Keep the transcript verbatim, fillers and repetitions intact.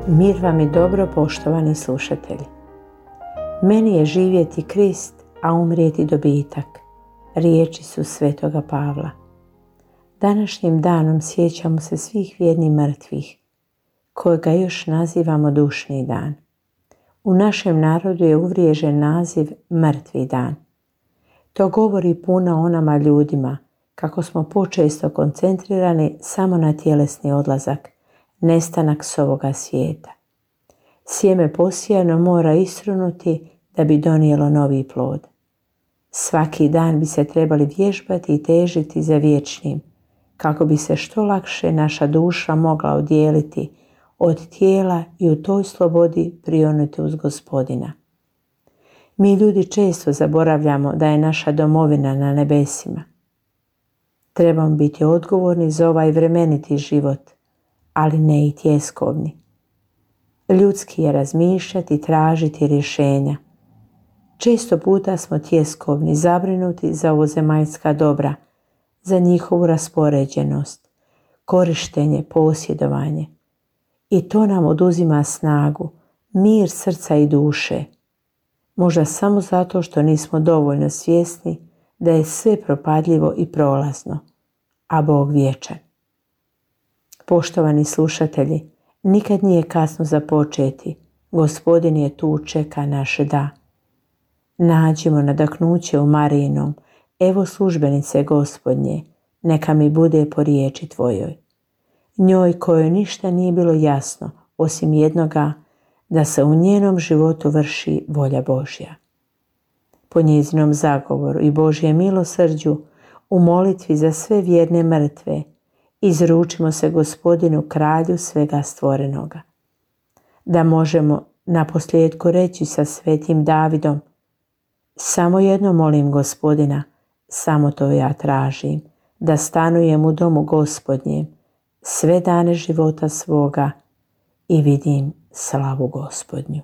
Mir vam i dobro, poštovani slušatelji. Meni je živjeti Krist, a umrijeti dobitak. Riječi su svetoga Pavla. Današnjim danom sjećamo se svih vjernih mrtvih, kojega još nazivamo dušni dan. U našem narodu je uvriježen naziv mrtvi dan. To govori puno o nama ljudima, kako smo počesto koncentrirani samo na tjelesni odlazak, nestanak s ovoga svijeta. Sjeme posijano mora isrunuti da bi donijelo novi plod. Svaki dan bi se trebali vježbati i težiti za vječnim, kako bi se što lakše naša duša mogla odjeliti od tijela i u toj slobodi prionuti uz Gospodina. Mi ljudi često zaboravljamo da je naša domovina na nebesima. Trebamo biti odgovorni za ovaj vremeniti život, ali ne i tjeskovni. Ljudski je razmišljati i tražiti rješenja. Često puta smo tjeskovni, zabrinuti za ovozemaljska dobra, za njihovu raspoređenost, korištenje, posjedovanje. I to nam oduzima snagu, mir srca i duše. Možda samo zato što nismo dovoljno svjesni da je sve propadljivo i prolazno, a Bog vječan. Poštovani slušatelji, nikad nije kasno započeti. Gospodin je tu, čeka naše da. Nađimo nadahnuće u Marijinom. Evo službenice Gospodnje, neka mi bude po riječi tvojoj. Njoj kojoj ništa nije bilo jasno, osim jednoga, da se u njenom životu vrši volja Božja. Po njezinom zagovoru i Božjem milosrđu, u molitvi za sve vjerne mrtve, izručimo se Gospodinu, kralju svega stvorenoga. Da možemo naposljetku reći sa svetim Davidom: samo jedno molim Gospodina, samo to ja tražim, da stanujem u domu Gospodnjem sve dane života svoga i vidim slavu Gospodnju.